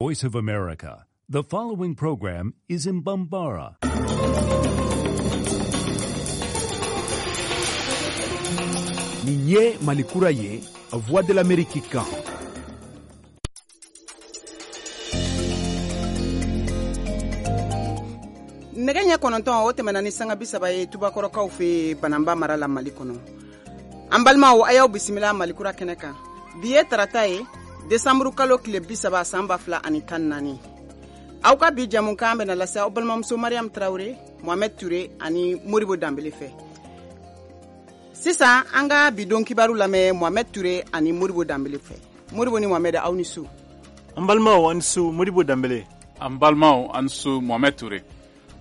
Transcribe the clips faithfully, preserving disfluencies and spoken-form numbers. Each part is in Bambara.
Voice of America. The following program is in Bambara. Nin ye Malikura ye, Voix de l'Amérique kan. Nɛgɛ ɲɛ kɔnɔntɔn o tɛmɛna ni sanga bi saba ye Tubakɔrɔkaw fɛ Bananba mara la Mali kɔnɔ. An balimaw, a y'aw bisimila Malikura kɛnɛ kan. Bi ye tarata ye, desanburu kalo tile bi saba san ba fila ani tan naani. Aw ka bi jamukan bɛna lase aw balimamuso Mariam Traoré, Mohamed Touré ani Modibo Danbele fɛ. Sisan an ka bi don kibaru lamɛn Mohamed Touré ani Modibo Danbele fɛ. Modibo ni Mohamed, aw ni su. An balimaw, an su Modibo Danbele. An balimaw, an su Mohamed Touré.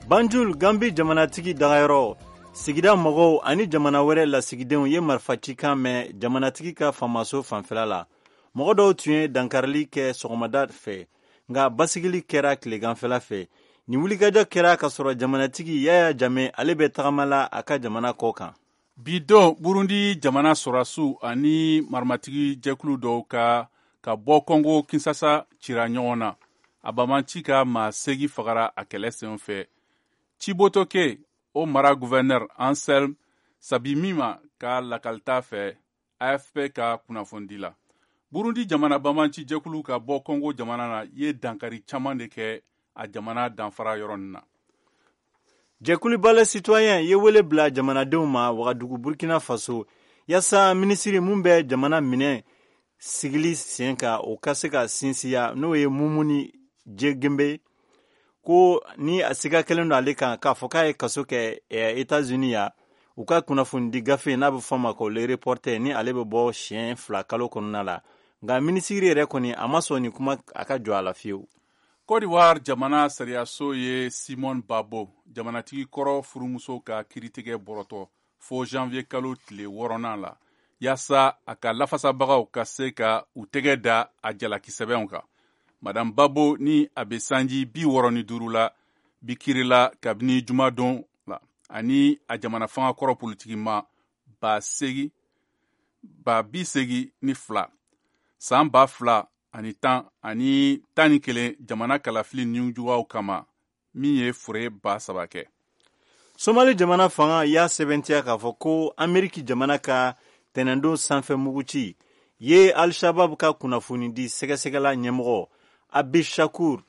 Banjul, Gambi jamanatigi dagayɔrɔ, sigida mɔgɔw ani jamana wɛrɛ lasigidenw ye marifacikan mɛn jamanatigi ka faamaso fanfɛla la. Mɔgɔ dɔw tun ye dankarili kɛ sɔgɔmada fɛ, nka basigili kɛra tileganfɛla fɛ. Nin wulikajɔ kɛra ka sɔrɔ jamanatigi Yaya Jame ale bɛ tagama la a ka jamana kɔ kan. Bi don, Burundi jamana sɔrɔdasiw ani marimatigi jɛkulu dɔw ka ka bɔ Kɔngo Kinsasa cira ɲɔgɔn na. A banbaanci ka maa seegin fagara a kɛlɛ sen fɛ. Cibitoke, o mara gouverneur Anselme Sabimima ka lakalita fɛ A F P ka kunnafonidi la. Burundi jamana banbaanci jɛkulu ka bɔ Kɔngo jamana na ye dankari caman de kɛ a jamana danfara yɔrɔ nin na. Jɛkulu Balai Citoyen ye wele bila jamanadenw ma Wagadugu, Burkina Faso, yaasa minisiri mun bɛ jamana minɛ sigili sen kan, o ka se ka sinsiya, n'o ye Mumuni Jegenbe, ko ni a siga kɛlen don ale kan k'a fɔ k'a ye kaso kɛ Etats-Unis ya. U ka kunnafonidi gafe n'a bɛ fɔ ma ko Le Reporter, ni ale bɛ bɔ siɲɛ fila kalo kɔnɔna la. Nka minisiri yɛrɛ kɔni, a ma sɔn nin kuma a ka jɔ a la fiyewu. Côte d'Ivoire jamana sariyaso ye Simone Gbagbo, jamanatigi kɔrɔ furumuso ka kiritigɛ bɔrɔtɔ fo janvier kalo tile wɔɔrɔnan la, yaasa a ka lafasabagaw ka se ka u tɛgɛ da a jalakisɛbɛnw kan. Madame Gbagbo, ni a bɛ sanji bi wɔɔrɔ ni duuru la, bi kirila kabini jumadon la ani a jamana fanga kɔrɔ politikima ba segi ba bi segi ni fila san ba fila ani tan ani tan ni kelen jamana kalafili nijuguyaw kama, min ye fure ba saba kɛ. Somali jamana fanga y'a sɛbɛntiya k'a fɔ ko Ameriki jamana ka tɛnɛndon sanfɛ muguci ye Al-Shabab ka kunnafonidi sɛgɛsɛgɛla ɲɛmɔgɔ Abishakur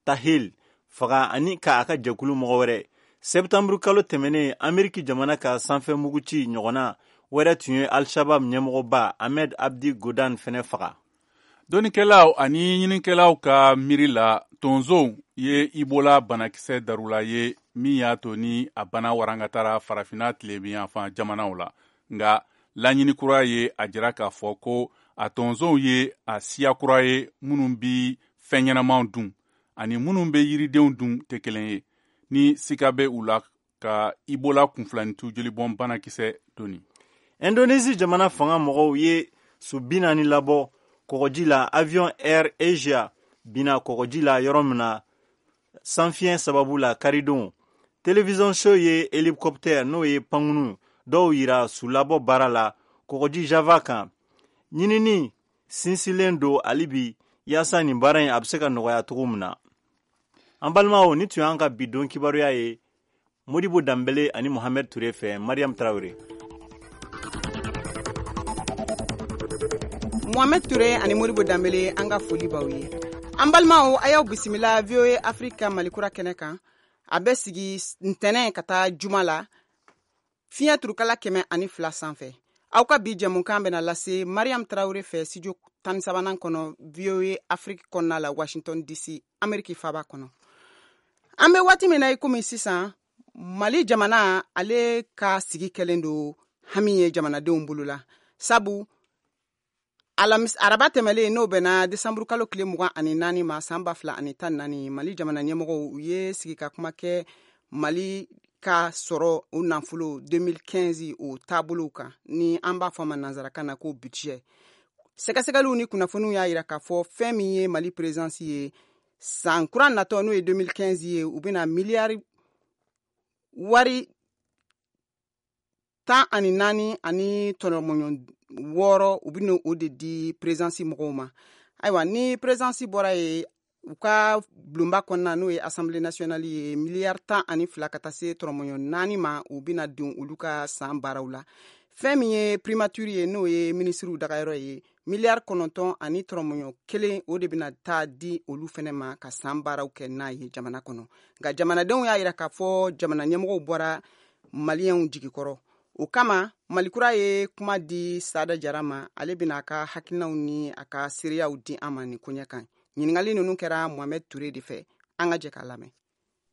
Tahil faga ani ka a ka jɛkulu mɔgɔ wɛrɛ. Sɛptanburu kalo tɛmɛnen, Ameriki jamana ka sanfɛ muguci ɲɔgɔnna wɛrɛ tun ye Al-Shabab ɲɛmɔgɔba Ahmed Abdi Godan fɛnɛ faga. Dɔnnikɛlaw ani ɲininikɛlaw ka miiri la, tonzow ye Ebola banakisɛ darula ye min y'a to ni a bana warangatara Farafinna tilebinyanfan jamanaw la. Nka laɲini kura ye a jira k'a fɔ ko a tonzow ye a siya kura ye minnu bi fɛn ɲɛnamaw dun ani minnu bɛ yiridenw dun tɛ kelen ye, ni sika bɛ u la ka Ebola kunfilanintu jolibɔn banakisɛ doni. Indonésie jamana fanga mɔgɔw ye su bi naani labɔ kɔgɔji la, avion Air Asia binna kɔgɔji la yɔrɔ min na sanfiɲɛ sababu la karidon. Télévision show ye hélicoptère, n'o ye pankunu dɔw yira su labɔ baara la kɔgɔji Java kan. Ɲinini sinsinlen don hali bi yaasa nin baara in a bɛ se ka nɔgɔya cogo min na. An balimaw, ni tun y'an ka bi don kibaruya ye Modibo Danbele ani Mohamed Touré fɛ, Mariam Traoré. Mohamed Touré ani Modibo Danbele, an ka foli b'aw ye. An balimaw, a y'aw bisimila V O A Afrique Malikura kɛnɛ kan. A bɛ sigi ntɛnɛn ka taa juma la fiɲɛ turukala kɛmɛ ani fila sanfɛ. Aw ka bi jɛmukan bɛna lase Mariam Traoré fɛ studio tan ni sabanan kɔnɔ, V O A Afrique kɔnɔna la, Washington D C, Ameriki faba kɔnɔ. An bɛ waati min na i komi sisan, Mali jamana ale ka sigi kɛlen don hami ye jamanadenw bolo la, sabu alamis araba tɛmɛlen, n'o bɛnna desanburu kalo tile mugan ani naani ma san ba fila ani tan naani, Mali jamana ɲɛmɔgɔw u ye sigi ka kuma kɛ Mali ka sɔrɔ o nafolo deux mille quinze o taabolow kan, ni an b'a fɔ a ma nansarakan na ko budget. Sɛgɛsɛgɛliw ni kunnafoniw y'a yira k'a fɔ fɛn min ye Mali présidence ye, san kura natɔ, n'o ye deux mille quinze ye, u bɛna miliyari wari tan ani naani ani tɔnɔmɔɲɔ wɔɔrɔ, u bɛna o de di présidence mɔgɔw ma. Ayiwa, ni présidence bɔra ye U ka bulonba kɔnɔna, n'o ye Assemblée nationale ye, miliyari tan ani fila ka taa se tɔrɔmɔɲɔ naani ma, u bɛna don olu ka san baaraw la. Fɛn min ye primature ye, n'o ye minisiriw dagayɔrɔ ye, miliyari kɔnɔntɔn ani tɔrɔmɔɲɔ kelen, o de bɛna taa di olu fɛnɛ ma ka san baaraw kɛ n'a ye jamana kɔnɔ. Nka jamanadenw y'a yira k'a fɔ jamana ɲɛmɔgɔw bɔra maliyɛnw jigikɔrɔ. O kama, Malikura ye kuma di Sada Jara ma. Ale bɛna a ka hakilinaw ni a ka seereyaw di an ma nin koɲɛ kan. Ɲininkali ninnu kɛra Mohamed Ture de fɛ. An ka jɛ k'a lamɛn.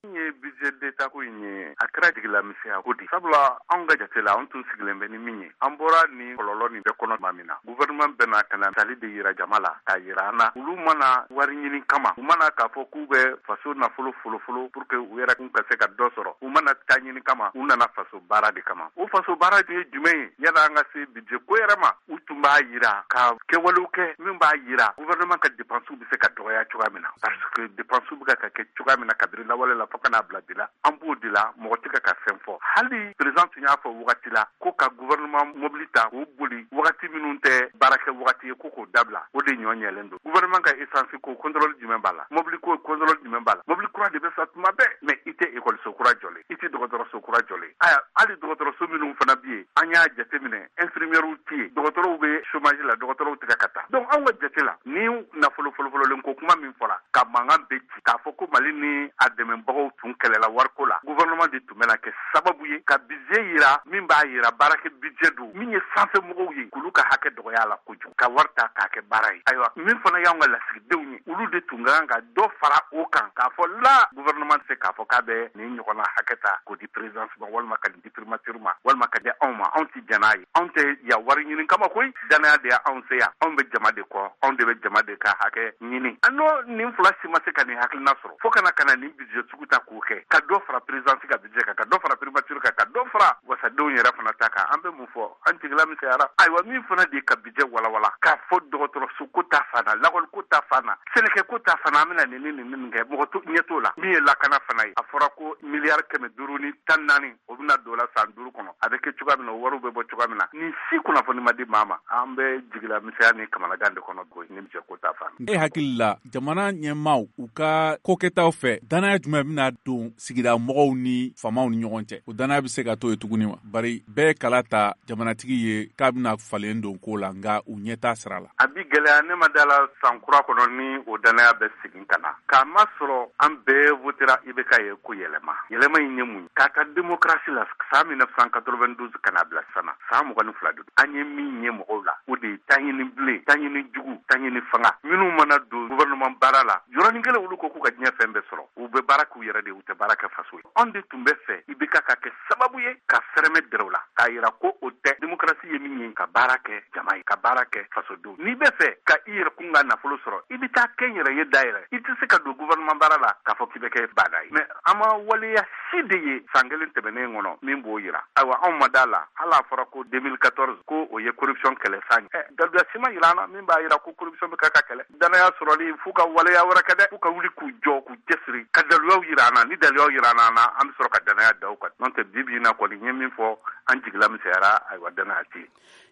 Min ye budget d'État ko in ye, a kɛra jigilamisɛnya ko de. Sabula anw ka jate la, anw tun sigilen bɛ ni min ye, an bɔra nin kɔlɔlɔ nin bɛɛ kɔnɔ tuma min na, gouvernement bɛna ka na tali de yira jama la, k'a yira an na olu mana wari ɲini kama, u mana k'a fɔ k'u bɛ faso nafolo folofolo pour que u yɛrɛ kun ka se ka dɔ sɔrɔ. U mana taa ɲini kama, u nana faso baara de kama. O faso baara ye jumɛn ye? Yala an ka se budget ko yɛrɛ ma, u tun b'a yira ka kɛwalew kɛ min b'a yira gouvernement ka dépenses bɛ se ka dɔgɔya cogoya min na, parce que dépenses bɛ ka kɛ cogoya min na kabiri lawale la fo ka n'a bila bi la, an b'o de la, mɔgɔ tɛ ka fɛn fɔ. Hali président tun y'a fɔ wagati la ko ka gouvernement mobili ta k'o boli wagati minnu tɛ baarakɛ wagati ye, ko k'o dabila. O de ɲɔ ɲɛlen don. Gouvernement ka essence ko, contrôle jumɛn b'a la? Mobili ko, contrôle jumɛn b'a la? Mobili kura de bɛ sa tuma bɛɛ, mais i tɛ ekɔliso kura jɔlen, i tɛ dɔgɔtɔrɔso kura jɔlen. Aya, hali dɔgɔtɔrɔso minnu fana bɛ yen, an y'a jateminɛ, infirmières tɛ yen, dɔgɔtɔrɔw bɛ chômage la, dɔgɔtɔrɔw tɛ ka taa. Donc anw ka jate la, ni nafolo folofololen ko kuma min fɔra ka mankan bɛ ci k'a fɔ ko Mali ni a dɛmɛbagaw tun kɛlɛla wariko la, gouvernement de tun bɛna kɛ sababu ye ka budget yira min b'a yira baarakɛ budget don min ye sanfɛ mɔgɔw ye, k'olu ka hakɛ dɔgɔya la kojugu, ka wari ta k'a kɛ baara ye. Ayiwa, min fana y'anw ka lasigidenw ye, olu de tun ka kan ka dɔ fara o kan k'a fɔ la gouvernement tɛ se k'a fɔ k'a bɛ nin ɲɔgɔnna hakɛ ta k'o di présidence ma, walima ka nin di primature ma, walima ka di anw ma. Anw tɛ jɛn n'a ye. Anw tɛ yan wari ɲini kama koyi, danaya de y'anw se yan. Anw bɛ jama de kɔ, anw de bɛ jama de ka hakɛ ɲini. An n'o nin fila si ma se ka nin hakilina sɔrɔ fo kana ka na nin budget sugu ta k'o kɛ, ka dɔ fara présidence ka budget kan, ka dɔ fara primature kan, ka dɔ fara wasadenw yɛrɛ fana ta kan. An bɛ mun fɔ? An jigila misɛnyara. Ayiwa, min fana de ye ka budget walawala k'a fɔ dɔgɔtɔrɔso ko ta fan na, lakɔli ko ta fan na, sɛnɛkɛ ko ta fan na, an bɛna nin ni nin nin kɛ, mɔgɔ ɲɛ t'o la. Min ye lakana fana ye, a fɔra ko miliyari kɛmɛ duuru ni tan naani, o bɛna don la san duuru kɔnɔ. A bɛ kɛ cogoya min na, o wariw bɛ bɔ cogoya min na, nin si kunnafoni ma di maa ma. An bɛ jigila misɛnya ni kamanagan de kɔnɔ nin budget ko ta fan. E hakili la, jamana ɲɛmaaw u ka kokɛtaw fɛ, danaya jumɛn bɛna don sigida mɔgɔw ni faamaw ni ɲɔgɔn cɛ? O danaya bɛ se ka to yen tuguni wa? Bari bɛɛ kala ta jamanatigi ye k'a bɛna falen don ko la, nka u ɲɛ t'a sira la. A bi gɛlɛya. Ne ma da la san kura kɔnɔ ni o danaya bɛ segin ka na, k'a ma sɔrɔ an bɛɛ votera I B K ye ko yɛlɛma. Yɛlɛma in ye mun ye? K'a ta démocratie la san mille neuf cent quatre-vingt-douze ka n'a bila sisan na, san mugan ni fila de don. An ye min ye mɔgɔw la, o de ye taɲini bilen, taɲini jugu, taɲini fanga. Minnu mana don gouvernement baara la, yɔrɔnin kelen olu ko k'u ka diɲɛ fɛn bɛɛ sɔrɔ. U bɛ baara k'u yɛrɛ de, u tɛ baara kɛ faso ye. Anw de tun bɛ fɛ I B K ka kɛ sababu ye ka fɛrɛmɛ dɛrɛw la k'a yira ko o tɛ démocratie ye min ye, ka baara kɛ jama ye, ka baara kɛ fasodenw. N'i bɛ fɛ ka i yɛrɛ kun ka nafolo sɔrɔ, i bɛ taa kɛ n yɛrɛ ye dayɛlɛ. I tɛ se ka don gouvernement baara la k'a fɔ k'i bɛ kɛ baada ye. Mais an ma waleya si de ye san kelen tɛmɛnen kɔnɔ min b'o yira. Ayiwa, anw ma da la. Hali a fɔra ko deux mille quatorze ko o ye corruption kɛlɛ san ye, daluya si ma yira an na min b'a yira ko corruption bɛ ka ka kɛlɛ. Danaya sɔrɔli, f'u ka waleya wɛrɛ kɛ dɛ, f'u ka wuli k'u jɔ, k'u cɛsiri ka daluyaw yira an na. Ni daluyaw yira an na, an bɛ sɔrɔ ka danaya da u kan. N'o tɛ, bi bi in na kɔni, n ye min fɔ, an jigila misɛnyara. Ayiwa, danaya tɛ yen.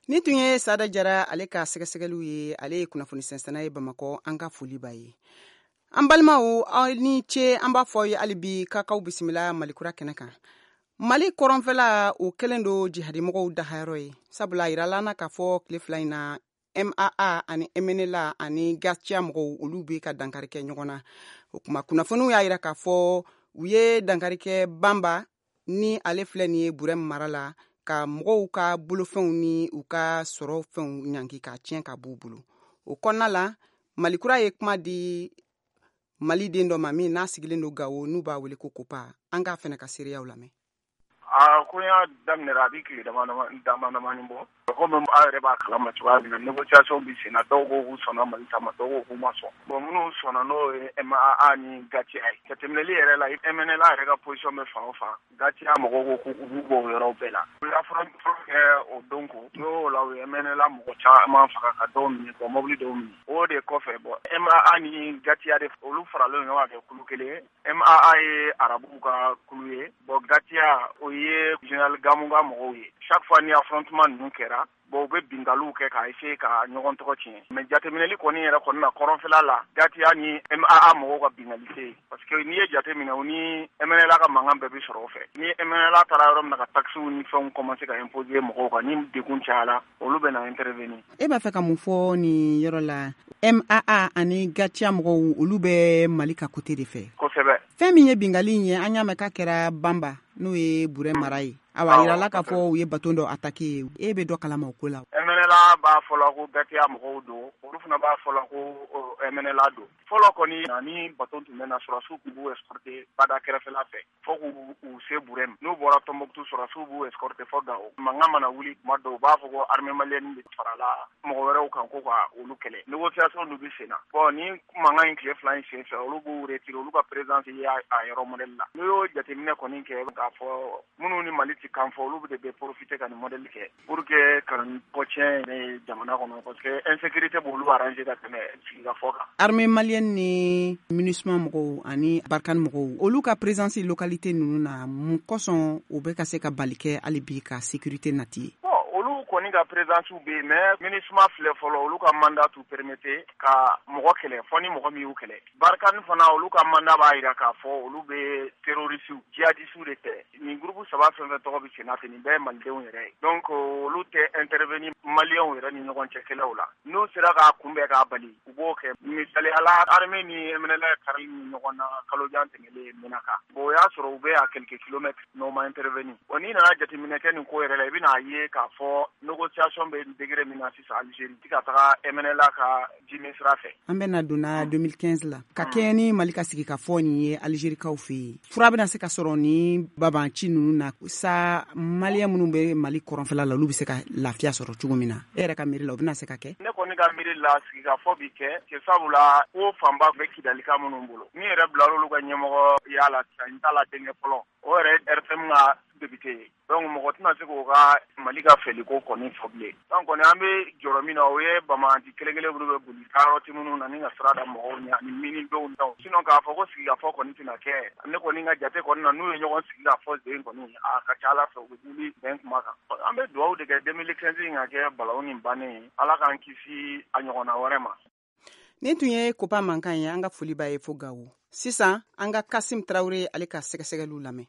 Ni tun ye Sada Jara, ale ka sɛgɛsɛgɛliw ye. Ale ye kunnafoni sɛnsɛnna ye Bamakɔ. An ka foli b'a ye. An balimaw, aw ni ce. An b'a fɔ ye hali bi k'akaw bisimila Malikura kɛnɛ kan. Mali kɔrɔnfɛla, o kɛlen don jihadimɔgɔw dahayɔrɔ ye, sabula a yirala na k'a fɔ tile fila in na, M A A ani M N L A ani GATIA mɔgɔw, olu bɛ ka dankari kɛ ɲɔgɔn na. O kuma kunnafoniw y'a yira k'a fɔ u ye dankari kɛ Banba ni ale filɛ nin ye Burɛm mara la, ka mɔgɔw ka bolofɛnw ni u ka sɔrɔ fɛnw ɲangi k'a tiɲɛ ka b'u bolo. O kɔnɔna la, Malikura ye kuma di Mali den dɔ ma min n'a sigilen don Gawo, n'u b'a wele ko Kopa. An k'a fɛnɛ ka seereyaw lamɛn. A ko y'a daminɛ, a bɛ tile dama dama damani bɔ. Komi aw yɛrɛ b'a kalama cogoya min na, négociation bɛ sen na. Dɔw ko k'u sɔnna Mali ta ma, dɔw ko k'u ma sɔn. Bon, minnu sɔnna, n'o ye M A A ni GATIA ye. Jateminɛli yɛrɛ la, M N L A yɛrɛ ka position bɛ fan o fan, GATIA mɔgɔw ko k'u b'u bɔ o yɔrɔ bɛɛ la. U ye affrontement kɛ o don ko n'o la, u ye M N L A mɔgɔ caman faga, ka dɔw minɛ, ka mobili dɔw minɛ. O de kɔfɛ, bon, M A A ni GATIA de, olu faralen ɲɔgɔn kan kɛ kulu kelen ye. M A A ye arabuw ka kulu ye, bon, GATIA o ye général Gamu ka mɔgɔw ye. Chaque fois ni affrontement ninnu kɛra kɛra, bon u bɛ binkaliw kɛ k'a essayer ka ɲɔgɔn tɔgɔ tiɲɛ. Mais jateminɛli kɔni yɛrɛ kɔni na kɔrɔnfɛla la, GATIA ni M A A mɔgɔw ka binkali tɛ yen, parce que n'i ye jateminɛ u ni M N L A ka mankan bɛɛ bɛ sɔrɔ o fɛ. Ni M N L A taara yɔrɔ min na ka taxes ni fɛnw commencer ka imposer mɔgɔw kan, ni degun cayara, olu bɛ na intervenir. E b'a fɛ ka mun fɔ nin yɔrɔ la? M A A ani GATIA mɔgɔw, olu bɛ Mali ka côté de fɛ. Kosɛbɛ. Fɛn min ye binkali in ye, an y'a mɛn k'a kɛra Banba, n'o ye Burɛ mara ye. Awa, yirala k'a fɔ u ye bateau dɔ attaqué. E bɛ dɔ kalama o ko la? M N L A b'a fɔ la ko GATIA mɔgɔw don, olu fana b'a fɔ la ko M N L A don. Fɔlɔ kɔni, ni bateau tun bɛ na, sɔrɔdasiw tun b'u escorter bada kɛrɛfɛla fɛ fo k'u u se Burɛ ma. N'u bɔra Tombouctou, sɔrɔdasiw b'u escorter fo Gao. Mankan mana wuli tuma dɔw, u b'a fɔ ko armée malienne de farala mɔgɔ wɛrɛw kan ko ka olu kɛlɛ. Négociation dun bɛ sen na. Bon, ni mankan in tile fila in sen fɛ, olu b'u retirer, olu ka présence ye a yɔrɔ modèle la. N'u y'o jateminɛ kɔni kɛ k'a fɔ minnu ni Mali ti kan fɔ, olu de bɛ profiter ka nin modèle kɛ pour que ka ko tiɲɛ yɛrɛ jamana kɔnɔ, parce que insécurité b'olu arranger ka tɛmɛ sigikafɔ kan. Armée malienne ni MINUSMA mɔgɔw ani Barkhane mɔgɔw, olu ka présence localité ninnu na, mun kosɔn u bɛ ka se ka bali kɛ hali bi ka sécurité nati ye? Bon, olu kɔni ka présence bɛ yen, mais MINUSMA filɛ fɔlɔ, olu ka mandat t'u permettre ka mɔgɔ kɛlɛ fɔ ni mɔgɔ min y'u kɛlɛ. Barkhane fana, olu ka mandat b'a jira k'a fɔ olu bɛ terroristes, djihadistes de kɛlɛ. Nin groupe saba fɛn fɛn tɔgɔ bɛ sen na ten, nin bɛɛ ye malidenw yɛrɛ ye. Donc olu tɛ intervenir maliyɛnw yɛrɛ ni ɲɔgɔn cɛ kɛlɛw la. N'u sera k'a kunbɛn k'a bali, u b'o kɛ. Misaliya la, armée ni M N L A karili ni ɲɔgɔn na kalojan tɛmɛlen Menaka. Bon, o y'a sɔrɔ u bɛ à quelques kilomètres, n'o ma intervenir. Bon, n'i nana jateminɛ kɛ nin ko yɛrɛ la, i bɛna ye k'a fɔ négociation bɛ degré min na sisan Algérie, ti ka taga M N L A ka jimi sira fɛ. An bɛna donna deux mille quinze la, ka kɛɲɛ ni Mali ka sigi ka fɔ nin ye Algérikaw fɛ yen, fura bɛna se ka sɔrɔ ni babanci ninnu na sa, maliyɛn minnu bɛ Mali kɔrɔnfɛla la, olu bɛ se ka lafiya sɔrɔ cogo min na? E yɛrɛ ka miiri la, o bɛna se ka kɛ? Ne kɔni ka miiri la, sigikafɔ bi kɛ, ke sabula ko fanba bɛ Kidalika minnu bolo, ni yɛrɛ bilar'olu olu ka ɲɛmɔgɔ y'a la sisan, n t'a la denkɛ fɔlɔ, o yɛrɛ R F M ka député ye. Donc mɔgɔ tɛna se k'o ka Mali ka fɛliko kɔni fɔ bilen. Donc kɔni an bɛ jɔrɔ min na, o ye bamanci kelen kelen minnu bɛ boli taayɔrɔ minnu na ni ka sira da mɔgɔw ɲɛ ani minidenw daw. Sinon k'a fɔ ko sigikafɔ kɔni tɛna kɛ, ne kɔni ka jate kɔni na, n'u ye ɲɔgɔn sigi k'a fɔ sen kɔni, a ka ca Ala fɛ u bɛ wuli bɛn kuma kan. An bɛ dugawu de kɛ deux mille quinze in ka kɛ balawu nin bannen ye, Ala k'an kisi a ɲɔgɔnna wɛrɛ ma. Nin tun ye Kopa mankan ye, an ka foli b'a ye fo Gawo. Sisan an ka Kasim Tarawele ale ka sɛgɛsɛgɛliw lamɛn.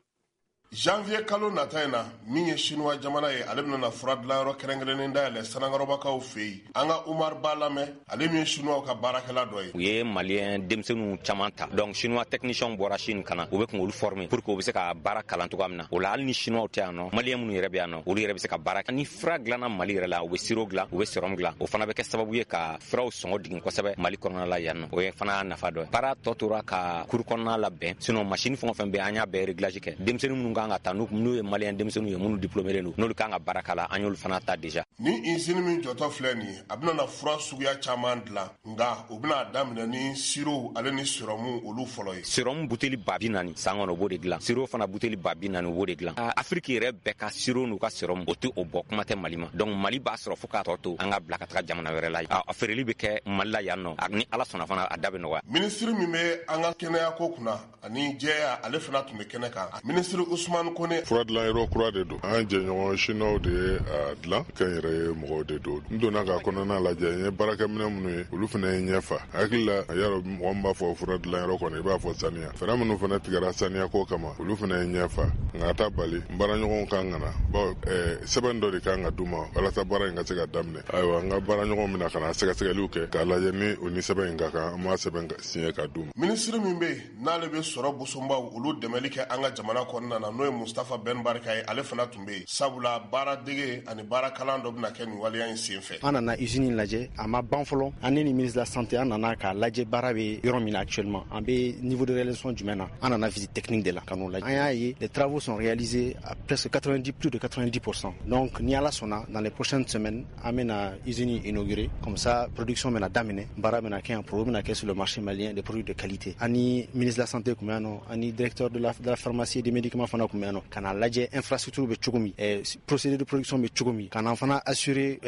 Janvier kalo nata in na, min ye Chinois jamana ye, ale bɛna fura dilanyɔrɔ kɛrɛnkɛrɛnnen dayɛlɛ Sanakɔrɔbakaw fɛ yen. An ka Umar Ba lamɛn, ale min ye Chinois ka baarakɛla dɔ ye. U ye maliyɛn denmisɛnninw caman ta, donc Chinois technicien bɔra Chine ka na, u bɛ kun olu former pour que u bɛ se ka baara kalan cogoya min na. O la hali ni Chinois tɛ yan nɔ, maliyɛn minnu yɛrɛ bɛ yan nɔ, olu yɛrɛ bɛ se ka baara kɛ. Ni fura dilanna Mali yɛrɛ la, u bɛ sirop dilan, u bɛ sérum dilan, o fana bɛ kɛ sababu ye ka furaw sɔngɔ jigin kosɛbɛ Mali kɔnɔna la yan nɔ. O ye fana nafa dɔ ye. Baara tɔ tora ka kuru kɔnɔna labɛn, sinon machine fɛn o fɛn bɛ yen, an y'a bɛɛ réglage kɛ. Denmisɛnnin minnu kan ka ta, n'u ye maliyɛn denmisɛnninw ye minnu diplômé don, n'olu kan ka baara k'a la, an y'olu fana ta déjà. Ni usine min jɔtɔ filɛ nin ye, a bɛna na fura suguya caman dilan, nka u bɛna daminɛ ni sirop ale ni sérum olu fɔlɔ ye. Sérum buteli ba bi naani san kɔnɔ, u b'o de dilan. Sirop fana buteli ba bi naani, u b'o de dilan. Afrique yɛrɛ bɛɛ ka sirop n'u ka sérum, o tɛ o bɔ, kuma tɛ Mali ma. Donc Mali b'a sɔrɔ fo k'a tɔ to an ka bila ka taga jamana wɛrɛ la. A feereli bɛ kɛ Mali la yan nɔ, ni Ala sɔnna fana a da bɛ nɔgɔya. Minisiri min bɛ an ka kɛnɛyako kunna ani jɛya, ale fana tun bɛ kɛnɛ kan. Minisiri Ousmane Kone. Fura dilanyɔrɔ kura de don. An jɛɲɔgɔn Chinois de ye a dilan, kɛn yɛrɛ ye mɔgɔw de don. N donna k'a kɔnɔna lajɛ, n ye baarakɛminɛ minnu ye, olu fana ye ɲɛfa. Hakili la, a y'a dɔn mɔgɔ min b'a fɔ fura dilanyɔrɔ kɔnɔ, i b'a fɔ saniya. Fɛɛrɛ minnu fana tigɛra saniyako kama, olu fana ye ɲɛfa. Nka a ta bali, n baaraɲɔgɔnw kan ka na. Bawo ɛɛ sɛbɛn dɔ de kan ka d'u ma walasa baara in ka se ka daminɛ. Ayiwa, n ka baaraɲɔgɔnw bɛna ka na sɛgɛsɛgɛliw kɛ k'a lajɛ ni o ni sɛbɛn in ka kan, an b'a sɛbɛn signé ka d'u ma. Minisiri min bɛ yen n'ale bɛ sɔrɔ bosonbaw olu dɛmɛli kɛ an ka jamana kɔnɔna na, n'o ye Mustafa Ben Barika ye, ale fana tun bɛ yen. Sabula baara dege ani baara kalan dɔ bɛna kɛ nin waleya in sen fɛ. An nana usine lajɛ, a ma ban fɔlɔ. An ni ministre de la santé, an nana k'a lajɛ baara bɛ yɔrɔ min na actuellement, an bɛ niveau de réalisation jumɛn na. An nana visite technique de la ka n'o lajɛ. An y'a ye les travaux sont réalisés à presque quatre-vingt-dix, plus de quatre-vingt-dix pour cent. Donc ni Ala sɔnna, dans les prochaines semaines, an bɛna usine inaugurer, comme ça production bɛna daminɛ, baara bɛna kɛ yan, produit bɛna kɛ sur le marché malien, des produits de qualité. Ani ministre de la santé tun bɛ yan nɔ, ani directeur de la, de la pharmacie et des médicaments fana fana tun bɛ yan nɔ ka n'a lajɛ infrastructure bɛ cogo min, procédé de production bɛ cogo min, ka n'an fana assurer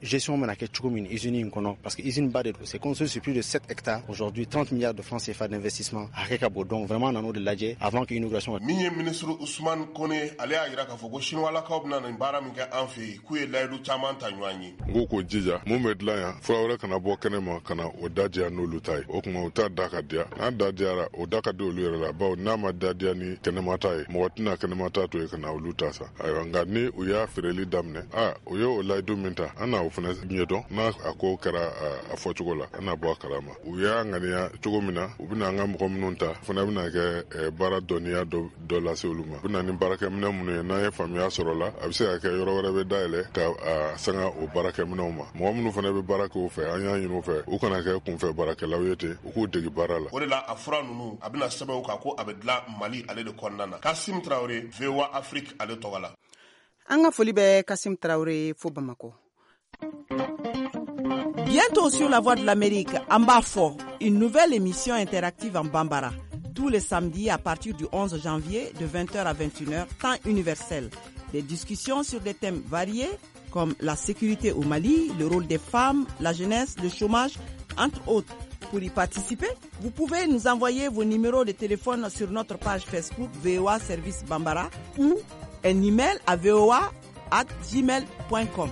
gestion bɛna kɛ cogo min usine in kɔnɔ, parce que usine ba de don, c'est construit sur plus de sept hectares aujourd'hui, trente milliards de francs C F A d'investissement a hakɛ ka bon. Donc vraiment an nan'o de lajɛ avant que inauguration. Min ye ministre Ousmane Kone, ale y'a jira k'a fɔ ko Chinois-lakaw bɛna nin baara min kɛ an fɛ yen, k'u ye layidu caman ta ɲɔgɔn ye. N ko k'o jija mun bɛ dilan yan, fura wɛrɛ kana bɔ kɛnɛ ma ka na o da diya n'olu ta ye. O tuma u t'a da ka diya, n'a da diyara o da ka di olu yɛrɛ la, bawo n'a ma da diya ni kɛnɛma ta ye, mɔgɔ tɛna kɛnɛma ta to yen ka na olu ta sa. Ayiwa, nka ni u y'a feereli daminɛ, a u ye o layidu min ta, an n'a o fana ɲɛdɔn. N'a a ko kɛra a fɔcogo la, an n'a bɔ a kalama. U y'a ŋaniya cogo min na, u bɛna an ka mɔgɔ minnu ta, fana bɛna kɛ baara dɔnniya dɔ dɔ lase olu ma. U bɛna ni baarakɛminɛn minnu ye, n'an ye faamuya sɔrɔ la, a bɛ se ka kɛ yɔrɔ wɛrɛ bɛ dayɛlɛ ka a sanga o baarakɛminɛnw ma. Mɔgɔ minnu fana bɛ baara kɛ o fɛ, an y'a ɲini u fɛ u kana kɛ kunfɛ baarakɛlaw ye ten, u k'u degi baara la. O de la a fura ninnu a bɛna sɛbɛn u kan ko a bɛ dilan Mali ale de kɔnɔna na. Kasim Traoré, V O A Afrique ale tɔgɔ la. An ka foli bɛ Kasim Traoré fo Bamakɔ. Bientôt sur la Voix de l'Amérique, An b'a fɔ, une nouvelle émission interactive en Bambara, tous les samedis à partir du onze janvier de vingt heures à vingt et une heures, temps universel. Des discussions sur des thèmes variés comme la sécurité au Mali, le rôle des femmes, la jeunesse, le chômage, entre autres. Pour y participer, vous pouvez nous envoyer vos numéros de téléphone sur notre page Facebook V O A Service Bambara ou un email à v o a arobase gmail point com.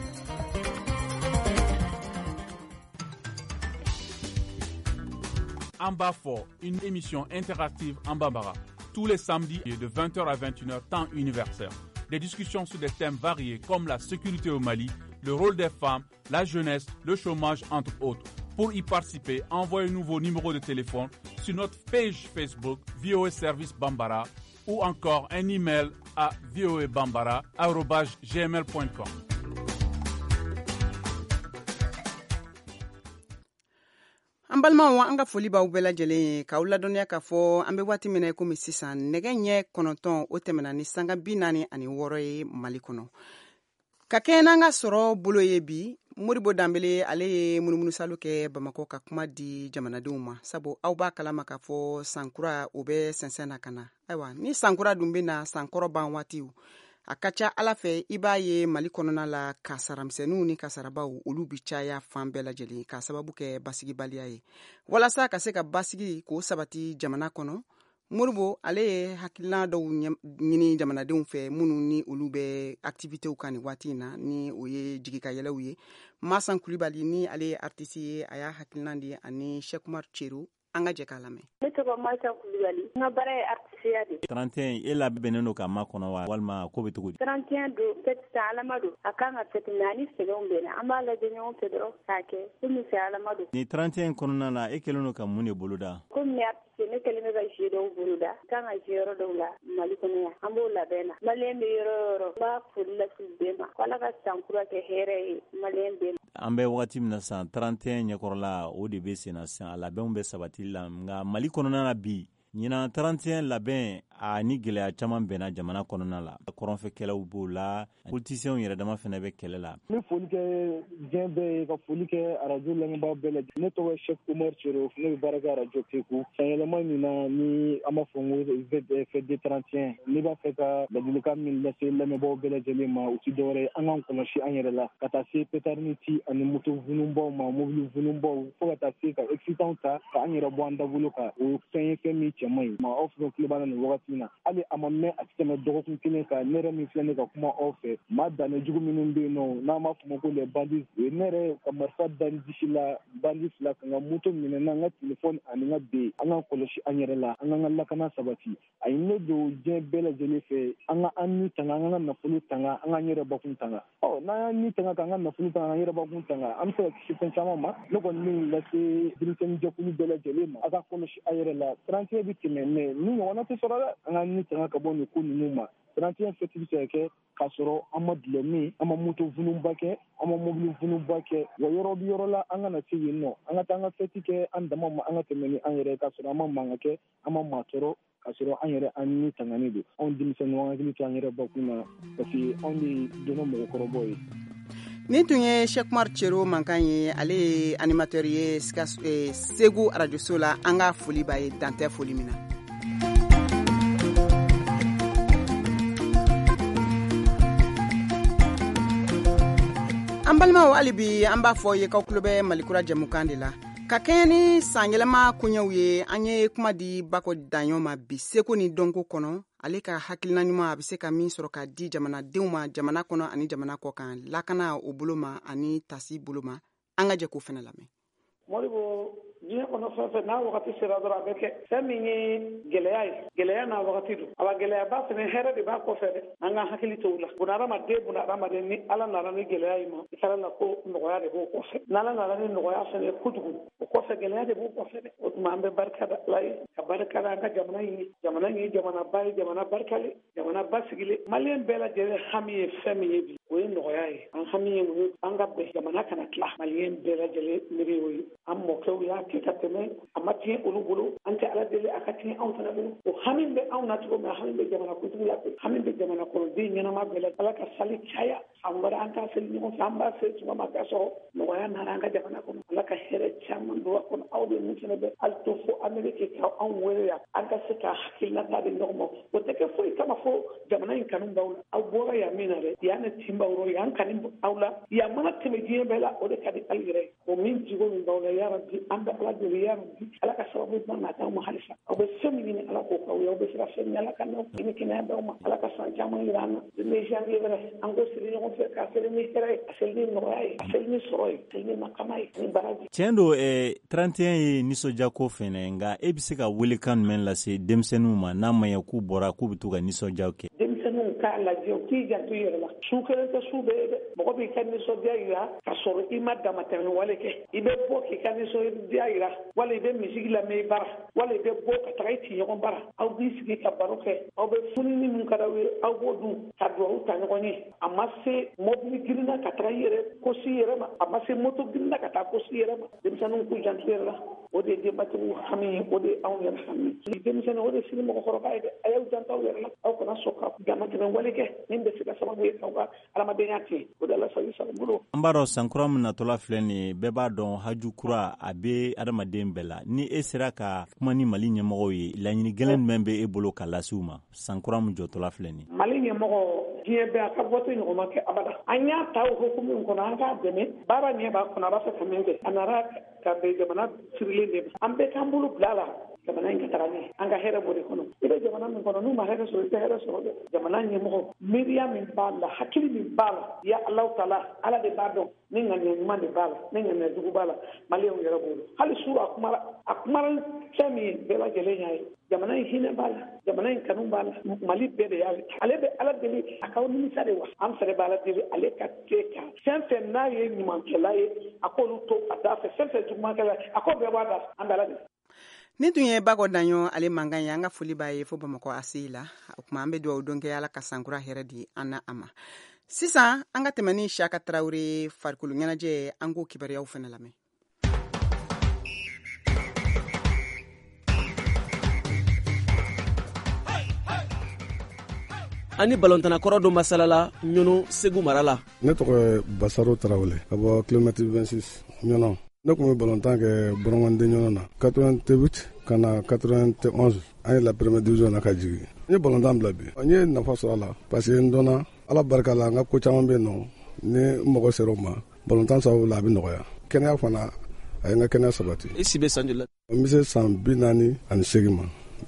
An b'a fɔ, une émission interactive en Bambara, tous les samedis de vingt heures à vingt et une heures, temps universel. Des discussions sur des thèmes variés comme la sécurité au Mali, le rôle des femmes, la jeunesse, le chômage, entre autres. Pour y participer, envoyez-nous vos numéros de téléphone sur notre page Facebook V O A Service Bambara ou encore un email à v o a bambara arobase gmail point com. An balimaw, an ka foli b'aw bɛɛ lajɛlen ye k'aw ladɔnniya k'a fɔ an bɛ waati min na i komi sisan nɛgɛ ɲɛ kɔnɔntɔn o tɛmɛna ni sanga bi naani ani wɔɔrɔ ye Mali kɔnɔ. Ka kɛɲɛ n'an ka sɔrɔ bolo ye bi, Modibo Danbele ale ye munumunusalo kɛ Bamakɔ ka kuma di jamanadenw ma, sabu aw b'a kalama k'a fɔ sankura o bɛ sɛnsɛn na ka na. Ayiwa, ni sankura dun bɛ na sankɔrɔ ban waatiw, a ka ca Ala fɛ i b'a ye Mali kɔnɔna la kasaramisɛnninw ni kasarabaw olu bi caya fan bɛɛ lajɛlen k'a sababu kɛ basigibaliya ye. Walasa ka se ka basigi k'o sabati jamana kɔnɔ, Modibo ale ye hakilina dɔw ɲini jamanadenw fɛ minnu ni olu bɛ activitéw kan nin waati in na, ni o ye jigikayɛlɛw ye. Masan Kulibali ni ale ye artiste ye, a y'a hakilina di ani Cheikh Oumar Cero. An ka jɛ k'a lamɛn. Ne tɔgɔ Masa Kulibali, n ka baara ye artisiya de. trente et un e labɛnnen don ka makɔnɔ wa walima ko bɛ cogo di? trente et un don fête san Alama don, a kan ka fête mais ani sɛgɛnw bɛ na, an b'a lajɛ ɲɔgɔn fɛ dɔrɔn k'a kɛ komi fɛ Alama don. Ni trente et un kɔnɔna la, e kɛlen don ka mun de boloda? Komi ne artiste, ne kɛlen bɛ ka jeu dɔw boloda, kan ka jeu yɔrɔ dɔw la Mali kɔnɔ yan, an b'o labɛn na. Maliyɛn bɛ yɔrɔ o yɔrɔ, n b'a foli lase bɛɛ ma, ko Ala ka san kura kɛ hɛrɛ ye maliyɛn bɛɛ ma. An bɛ wagati min na san trente et un ɲɛkɔrɔla o de bɛ sen na sisan, a labɛnw bɛ sabati la, nka Mali kɔnɔna na bi ɲinan trente et un labɛn a ni gɛlɛya caman bɛnna jamana kɔnɔna la. Kɔrɔnfɛkɛlaw b'o la, politiciens yɛrɛ dama fana bɛ kɛlɛ la. N bɛ foli kɛ diɲɛ bɛɛ ye, ka foli kɛ arajo lamɛnbaa bɛɛ lajɛlen. Ne tɔgɔ ye Cheikh Oumar Cero, ne bɛ baara kɛ arajo Segu. Sanyɛlɛma min na ni an b'a fɔ n ko fête de trente et un, ne b'a fɛ ka ladilikan min lase lamɛnbaaw bɛɛ lajɛlen ma, o ti dɔwɛrɛ ye, an k'an kɔlɔsi an yɛrɛ la, ka taa se pétard ci ani moto vununbaw ma, mobili vununbaw, fo ka taa se ka excitant ta ka an yɛrɛ bɔ an dabolo kan. O fɛn ye fɛn min cɛ man ɲi. Aw fɛn tulo b'a la nin wagati na, hali a ma mɛn a tɛ tɛmɛ dɔgɔkun kelen kan, ne yɛrɛ min filɛ ne ka kuma aw fɛ, maa danne jugu minnu bɛ yen nɔ, n'an b'a fɔ ma ko les bandits, o ye ne yɛrɛ ka marifa da n disi la, bandi fila ka n ka moto minɛ n na, n ka telefɔni ani n ka be. An k'an kɔlɔsi an yɛrɛ la, an k'an ka lakana sabati. A ye ne don diɲɛ bɛɛ lajɛlen fɛ, an ka an ni tanga, an k'an ka nafolo tanga, an k'an yɛrɛ bakun tanga. Ɔ n'an y'an ni tanga k'an ka nafolo tanga, an yɛrɛ bakun tanga, an bɛ se ka kisi fɛn caman ma. Ne kɔni min lase denmisɛnnin jɛkulu bɛɛ lajɛlen ma, a ka kɔlɔsi a yɛrɛ la. trente et un bɛ tɛmɛ, mais ni ɲɔgɔnna tɛ sɔrɔ dɛ. An ka ni tanga ka bɔ nin ko ninnu ma. trente et un fête bɛ se ka kɛ k'a sɔrɔ an ma dulɔ min, an ma moto vununba kɛ, an ma mobili vununba kɛ. Wa yɔrɔ bi yɔrɔ la, an kana se yen nɔ, an ka taa an ka fête kɛ an dama ma, an ka tɛmɛ ni an yɛrɛ, k'a sɔrɔ an ma mankan kɛ, an ma maa tɔɔrɔ, k'a sɔrɔ an yɛrɛ an ni tanganen don. Anw denmisɛnninw, an hakili to an yɛrɛ bakun na, parce que anw de donna mɔgɔkɔrɔbaw ye. Nin tun ye Cheikh Oumar Cero mankan ye, ale ye animateur ye Segu arajoso la. An ka foli b'a ye dantɛ foli min na. An balimaw, hali bi an b'a fɔ ye k'aw tulo bɛ Malikura jɛmukan de la. Ka kɛɲɛ ni sanyɛlɛma koɲɛw ye, an ye kuma di Bako Daɲɔ ma bi seko ni dɔnko kɔnɔ. Ale ka hakilina ɲuman, a bɛ se ka min sɔrɔ ka di jamanadenw ma jamana kɔnɔ ani jamana kɔ kan, lakana o bolo ma ani tasi bolo ma. An ka jɛ k'o fana lamɛn. Moribo, diɲɛ kɔnɔ fɛn fɛn n'a wagati sera dɔrɔn a bɛ kɛ. Fɛn min ye gɛlɛya ye, gɛlɛya n'a wagati don. Awa, gɛlɛyaba fɛnɛ, hɛrɛ de b'a kɔfɛ dɛ. An ka hakili to la. Bunahadamaden, bunahadamaden, ni Ala nana ni gɛlɛya ye ma, i kɛra la ko nɔgɔya de b'o kɔfɛ. N'Ala nana ni nɔgɔya fɛnɛ kojugu, o kɔfɛ gɛlɛya de b'o kɔfɛ dɛ. O tuma an bɛ barika da Ala ye, ka barika da an ka jamana in ye. Jamana in ye jamanaba ye, jamana barikalen, jamana basigilen. Maliyɛn bɛɛ lajɛlen hami ye fɛn min ye bi, o ye nɔgɔya ye. An hami ye mun ye? An ka bɛn, jamana kana tila. Maliyɛn bɛɛ lajɛlen miiri y'o ye. An mɔkɛw y'a kɛ ka tɛmɛ, a ma tiɲɛ olu bolo. An tɛ Ala deli a ka tiɲɛ anw fana bolo. O hami bɛ anw na cogo min, hami bɛ jamana kuntigi la ten, hami bɛ jamana kɔnɔden ɲɛnama bɛɛ la. Ala ka sali caya san wɛrɛ, an k'a seli ɲɔgɔn fɛ. An b'a seli tuma min, a ka sɔrɔ nɔgɔya nana an ka jamana kɔnɔ. Ala ka hɛrɛ caman don a kɔnɔ. Aw de mun fana bɛ hali to fo Ameriki ka anw wele yan, an ka se ka hakilinata di ɲɔgɔn ma. O tɛ kɛ foyi kama fo jamana in kanu b'aw la. Aw bɔra yan min na dɛ, yan ne tin b'aw rɔ, yan kanu aw la, yan mana tɛmɛ diɲɛ bɛɛ la, o de ka di aw yɛrɛ ye. O min jigo min b'aw la, yarabi, an bɛ Ala deli, yarabi, Ala ka sababu ɲuman na d'anw ma halisa. Aw bɛ fɛn min ɲini, Ala k'o k'aw ye. Aw bɛ se ka fɛn min, Ala ka n'aw ni kɛnɛya d'aw ma. Ala ka san caman yira an na. Ni janvier wɛrɛ, an k'o seli ɲɔgɔn fɛ, k'a seli ni hɛrɛ ye, a seli ni nɔgɔya ye, a seli ni sɔrɔ ye, a seli ni makama ye, ni baraji. Tiɲɛ don, eh, trente et un ye nisɔndiyako fɛnɛ, nka e bɛ se ka welekan jumɛn lase denmisɛnninw ma, n'a ma ɲɛ k'u bɔra k'u bɛ to ka nisɔndiyaw kɛ? Denmisɛnninw k'a lajɛ, u k'i janto i yɛrɛ la. Su kelen tɛ su bɛɛ ye dɛ. Mɔgɔ b'i ka nisɔndiya yira ka sɔrɔ i ma damatɛmɛ wale kɛ. I bɛ bɔ k'i ka nisɔndiya yira, wala i bɛ misigi lamɛn i bara, wala i bɛ bɔ ka taga i tiɲɔgɔn bara, aw b'i sigi ka baro kɛ, aw bɛ fununi min ka d'aw ye, aw b'o dun ka duwawu ta ɲɔgɔn ye. A ma se mɔbili girinna ka taga i yɛrɛ ko si yɛrɛ ma, a ma se moto girinna ka taa ko si yɛrɛ ma. Denmisɛnninw k'u janto yɛrɛ la. O de ye denbatigiw hami ye, o de ye anw yɛrɛ hami ye. Denmisɛnnin, o de ye sini mɔgɔkɔrɔba ye dɛ. A y'aw janto aw yɛrɛ la. Aw kana sɔn ka damatɛmɛ wale kɛ min bɛ se ka sababu ye k'aw ka adamadenya tiɲɛ. O de la sago sago bolo. An b'a dɔn, sankura min natɔla filɛ nin ye, bɛɛ b'a dɔn haju kura a bɛ adamaden bɛɛ la. Ni e sera ka kuma ni Mali ɲɛmɔgɔw ye, laɲini gɛlɛn jumɛn bɛ e bolo ka lase u ma, sankura min jɔtɔla filɛ nin ye? Mali ɲɛmɔgɔ, diɲɛ bɛɛ a ka bɔto ɲɔgɔn ma kɛ abada. An y'a ta o hukumu min kɔnɔ, an k'a dɛmɛ baara ɲɛ b'a kɔnɔ, a b'a fɛ ka min kɛ. A nana ka bɛn jamana sirilen de ma. An bɛɛ k'an bolo bila a la, jamana in ka taga ɲɛ. An ka hɛrɛ b'o de kɔnɔ. I bɛ jamana min kɔnɔ, n'u ma hɛrɛ sɔrɔ, i tɛ hɛrɛ sɔrɔ dɛ. Jamana ɲɛmɔgɔ, miiriya min b'a la, hakili min b'a la, ya Alahu taala, Ala de b'a dɔn ni ŋaniya ɲuman de b'a la, ni ŋaniya jugu b'a la. Maliyɛnw yɛrɛ b'o dɔn. Hali su a kumara, a kumara fɛn min ye, bɛɛ lajɛlen y'a ye. Jamana in hinɛ b'a la, jamana in kanu b'a la, Mali bɛɛ de y'ale. Ale bɛ Ala deli a k'aw nimisa de wa. An fɛnɛ bɛ Ala deli ale ka se ka fɛn fɛn n'a ye ɲumankɛla ye, a k'olu to a da fɛ. Fɛn fɛn jugumankɛla ye, a k'o bɛɛ bɔ a da fɛ. An bɛ Ala deli. Nin tun ye Bakɔ Daɲɔ ale mankan ye. An ka foli b'a ye fo Bamakɔ A C I la. O tuma an bɛ dugawu don kɛ, Ala ka sankura hɛrɛ di an na a ma. Sisan an ka tɛmɛ ni Siyaka Tarawele farikolo ɲɛnajɛ, an k'o kibaruyaw fana lamɛn. An ni balontanna kɔrɔ dɔ masalala Ɲɔnɔ, Segu mara la. Ne tɔgɔ ye Basaro Tarawele, ka bɔ kilomètre vingt-six Ɲɔnɔ. Ne tun bɛ balontan kɛ Bɔrɔngɔnden Ɲɔnɔ na quatre-vingt-huit ka na quatre-vingt-onze, an ye la première division na ka jigin. N ye balontan bila bi, n ye nafa sɔrɔ a la parce que n dɔnna Ala barika la. N ka ko caman bɛ yen nɔ, ni n mago sera o ma balontan sababu la, a bɛ nɔgɔya. Kɛnɛya fana, a ye n ka kɛnɛya sabati. I si bɛ san joli la? N bɛ se san bi naani ani seegin ma,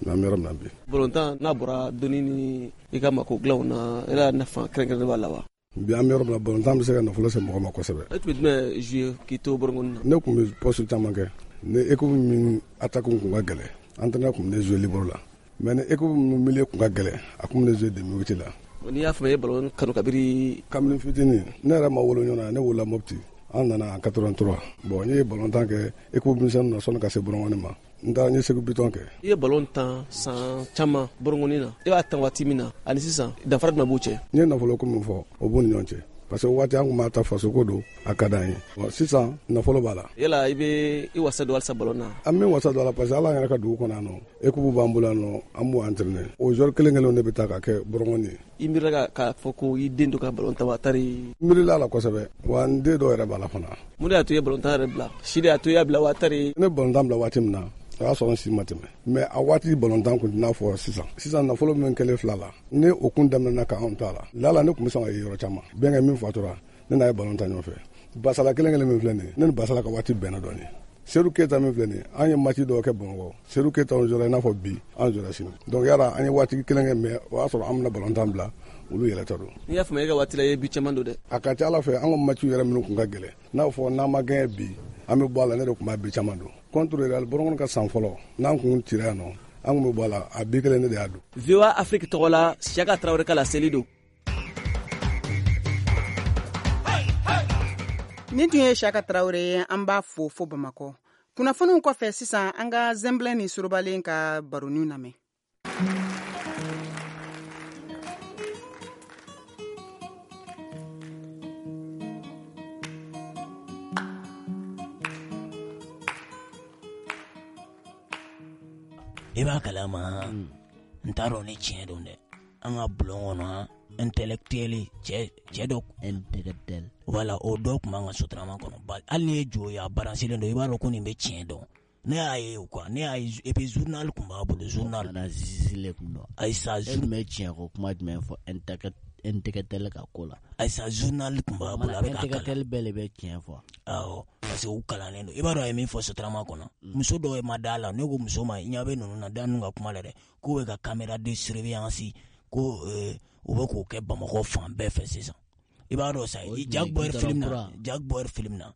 an bɛ yɔrɔ min na bi. Balontan n'a bɔra dɔnni ni i ka mako dilanw na, e la nafa kɛrɛnkɛrɛnnen b'a la wa? Bi an bɛ yɔrɔ min na, balontan bɛ se ka nafolo se mɔgɔ ma kosɛbɛ. E tun bɛ jumɛn jouer k'i to Bɔrɔngɔni na? Ne tun bɛ poste caman kɛ. Ni équipe min attaque kun ka gɛlɛn, entraîneur tun bɛ ne jouer libéro la, mais ni équipe min milieu kun ka gɛlɛn, a tun bɛ ne jouer demi huit la. N'i y'a faamu, i ye balon kanu kabiri? Kabini fitinin. Ne yɛrɛ ma wolo ɲɔgɔn na, ne wolola Mopti. An nana en quatre-vingt-trois. Bon, n ye balontan kɛ équipe misɛnnin na sɔnni ka se Bɔrɔngɔni ma. N taara, n ye Segu Bitɔn kɛ. I ye balon tan san caman Bɔrɔngɔni na. E b'a tan waati min na ani sisan, danfara jumɛn b'u cɛ? N ye nafolo ko min fɔ, o b'u ni ɲɔgɔn cɛ, parce que waati an tun b'a ta fasoko don, a ka d'an ye. Bon, sisan nafolo b'a la. Yala i bɛ i wasa don halisa balon na? An bɛ wasa don a la, parce que ala yɛrɛ ka dugu kɔnɔ yan nɔ, équipe b'an bolo yan nɔ, an b'u entraîner. O joueur kelen kelenw de bɛ taa ka kɛ Bɔrɔngɔni ye. I miirila k'a fɔ ko i den dɔ ka balon tan wa tari? N miirila a la kosɛbɛ wa, n den dɔw yɛrɛ b'a la fana. Mun de y'a to i ye balontan yɛrɛ bila? Si de y'a to i y'a bila wa tari? Ne balontan bila waati min na, o y'a sɔrɔ n si ma tɛmɛ, mais a waati balontan kun tɛ n'a fɔ sisan. Sisan nafolo min kɛlen fila la, ni o kun daminɛna ka anw to a la, lala ne tun bɛ sɔn ka ye yɔrɔ caman. Bɛnkɛ min fatura, ne n'a ye balon ta ɲɔgɔn fɛ. Basala kelen kelen min filɛ nin ye, ne ni Basala ka waati bɛnna dɔɔnin. Seydou Keita min filɛ nin ye, an ye match dɔw kɛ Bamakɔ. Seydou Keita an jɔra i n'a fɔ bi, an jɔra sini. Donc yala an ye waati kelen kɛ, mais o y'a sɔrɔ an bɛna balontan bila, olu yɛrɛ ta don. N'i y'a faamuya, e ka waati la i ye but caman don dɛ. A ka ca Ala fɛ, an ka match yɛrɛ minnu tun ka gɛlɛn, n'a fɔ n'an ma gagné bi, an bɛ bɔ a la, ne de tun b'a but caman don. Contre Real Bɔrɔnkɔnɔ ka san fɔlɔ, n'an kun cira yan nɔ, an kun bɛ bɔ a la, a bi kelen ne de y'a don. V O A Afrique tɔgɔ la, Siaka Traoré ka laseli don. Nin tun ye Siaka Traoré ye, an b'a fo fo Bamakɔ. Kunnafoniw kɔfɛ sisan, an ka Zɛnbilɛ ni Sorobalen ka baroniw lamɛn. I b'a kalama, n t'a dɔn ni tiɲɛ don dɛ. An ka bulon kɔnɔ, intellectuel cɛ cɛ dɔ intellectuel, voilà, o dɔ tun b'an ka sotarama kɔnɔ. Hali n'i ye jo ye, a baransilen don, i b'a dɔn ko nin bɛ tiɲɛ dɔn. Ne y'a ye o quoi, ne y'a ye, et puis journal tun b'a bolo, journal. Kana zizile kun dɔn. Ayisa, e tun bɛ tiɲɛ ko kuma jumɛn fɔ intellectuel ka ko la? Ayisa, journal tun b'a bolo, a bɛ k'a kalan. Intellectuel bɛɛ de bɛ tiɲɛ fɔ. Awɔ, parce que u kalannen don. I b'a dɔn a ye min fɔ sotarama kɔnɔ, muso dɔw ma da la. Ne ko muso ma, i ɲɛ bɛ ninnu na, da ninnu ka kuma la dɛ, k'u bɛ ka caméra de surveillance ko u bɛ k'o kɛ Bamakɔ fan bɛɛ fɛ sisan. I b'a dɔn sa, Jack Bauer film na, Jack Bauer film na,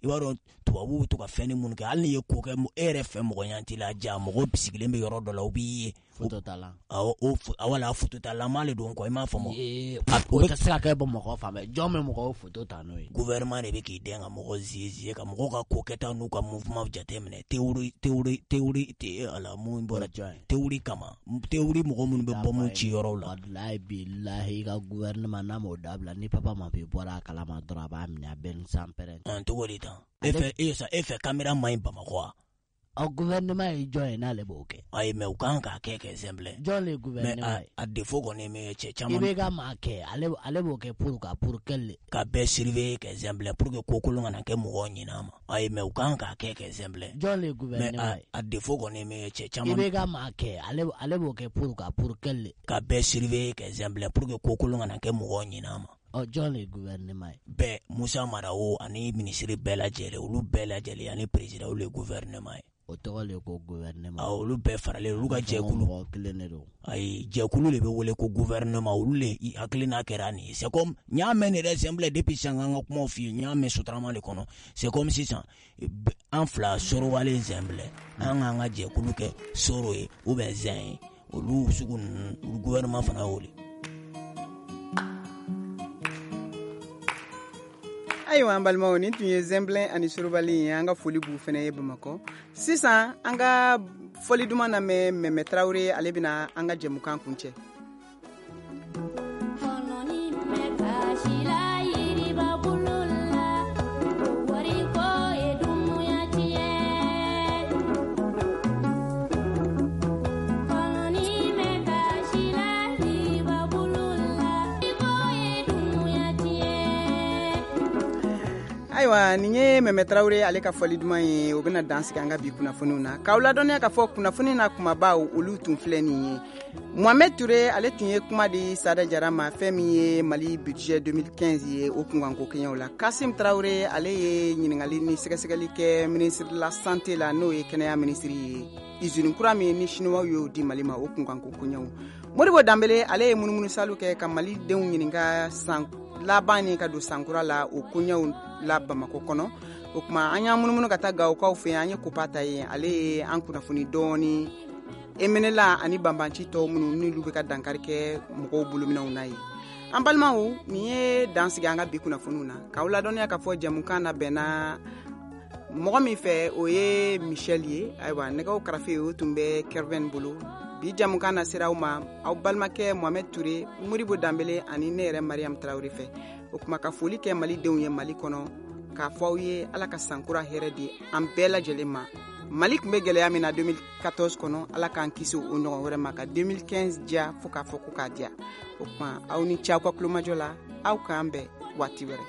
i b'a dɔn tubabuw bɛ to ka fɛn minnu kɛ, hali n'i ye ko kɛ e yɛrɛ fɛ mɔgɔ ɲɛ t'i la, ja mɔgɔ sigilen bɛ yɔrɔ dɔ la, u b'i ye. Photo ta la. Awɔ, o wala photo ta lama de don quoi, i m'a faamu. O tɛ se ka kɛ Bamakɔ fan bɛɛ. Jɔn bɛ mɔgɔw photo ta n'o ye? Gouvernement de bɛ k'i dɛn ka mɔgɔ ziye ka mɔgɔw ka ko kɛta n'u ka mouvement jateminɛ. Théorie théorie théorie ala mun bɔra théorie kama, théorie mɔgɔ minnu bɛ bɔmu ci yɔrɔw la. Walahi bilahi, i ka gouvernement n'a m'o dabila, ni papa ma bi bɔra a kalama dɔrɔn, a b'a minɛ, a bɛ ni sanpɛrɛn. Ɔn, cogo di tan? E fɛ e sa e fɛ caméra man ɲi Bamakɔ wa? Ɔ, gouvernement ye jɔn ye n'ale b'o kɛ? Ayi, mais u kan k'a kɛ kɛ Zɛnbilɛ. Jɔn le gouvernement ye? Mais a défaut kɔni ye min ye, cɛ caman. I bɛ ka maa kɛ, ale ale b'o kɛ pour ka pour quel? Ka bɛɛ surveiller kɛ Zɛnbilɛ pour que ko kolon kana kɛ mɔgɔw ɲin'a ma. Ayi, mais u kan k'a kɛ kɛ Zɛnbilɛ. Jɔn le gouvernement ye? Mais a défaut kɔni ye min ye, cɛ caman. I bɛ ka maa kɛ, ale ale b'o kɛ pour ka pour quel? Ka bɛɛ surveiller kɛ Zɛnbilɛ pour que ko kolon kana kɛ mɔgɔw ɲin'a ma. Ɔ, jɔn le gouvernement ye? Bɛɛ, Musa Mara o ani ministre bɛɛ lajɛlen, olu bɛɛ lajɛlen ani président, olu le gouvernement ye. O tɔgɔ le ko gouvernement. Awɔ, olu bɛɛ faralen, olu ka jɛkulu. Mɔgɔ kelen de don. Ayi, jɛkulu de bɛ wele ko gouvernement, olu le hakilina kɛra nin ye. C'est comme n y'a mɛn nin yɛrɛ Zɛnbilɛ depuis sisan, an ka kumaw f'i ye, n y'a mɛn sotarama de kɔnɔ. C'est comme sisan an fila Sorowale Zɛnbilɛ, an k'an ka jɛkulu kɛ Soro ye ou bien Zɛn ye, olu sugu ninnu, olu gouvernement fana y'o de. Ayiwa, an balimaw, nin tun ye Zɛnbilɛ ani Sorobalen ye. An ka foli b'u fana ye Bamakɔ. Sisan an ka fɔli duman lamɛn Mɛmɛ Tarawele, ale bɛna an ka jɛmukan kuncɛ. Ayiwa, nin ye Mɛmɛ Tarawele ale ka fɔli duman ye. O bɛna dan sigi an ka bi kunnafoniw na. K'aw ladɔnniya k'a fɔ kunnafoni na kumabaw olu tun filɛ nin ye. Mohamed Touré ale tun ye kuma di Sada Jara ma, fɛn min ye Mali budget deux mille quinze ye, o kunkanko kɛɲɛw la. Kasim Traoré ale ye ɲininkali ni sɛgɛsɛgɛli kɛ ministre de la santé la, n'o ye kɛnɛya ministre ye. Usine kura min ni chinois y'o di Mali ma, o kunkanko kɛɲɛw. Modibo Danbele ale ye munumunusalu kɛ ka Mali denw ɲininka san laban ni ka don sankura la, o koɲɛw la Bamakɔ kɔnɔ. O tuma an y'an munumunu ka taa Gawokaw fɛ yen, an ye Kopa ta yen, ale ye an kunnafoni dɔɔni Emenela ani banbanci tɔw minnu n'olu bɛ ka dankari kɛ mɔgɔw bolominɛw na ye. An balimaw, nin ye dan sigi an ka bi kunnafoniw na. K'aw ladɔnniya k'a fɔ jɛmukan labɛnna mɔgɔ min fɛ, o ye Michel ye. Ayiwa, nɛgɛw karafe o tun bɛ Kerven bolo. Bi jɛmukan na sera aw ma, aw balimakɛ Mohamed Touré, Modibo Danbele ani ne yɛrɛ Mariam Traoré fɛ. O kuma ka foli kɛ Malidenw ye Mali kɔnɔ, k'a fɔ aw ye Ala ka sankura hɛrɛ di an bɛɛ lajɛlen ma. Mali tun bɛ gɛlɛya min na deux mille quatorze kɔnɔ, Ala k'an kisi o ɲɔgɔn wɛrɛ ma, ka deux mille quinze diya fo k'a fɔ ko k'a diya. O kuma aw ni ce aw ka kulomajɔ la, aw k'an bɛn waati wɛrɛ.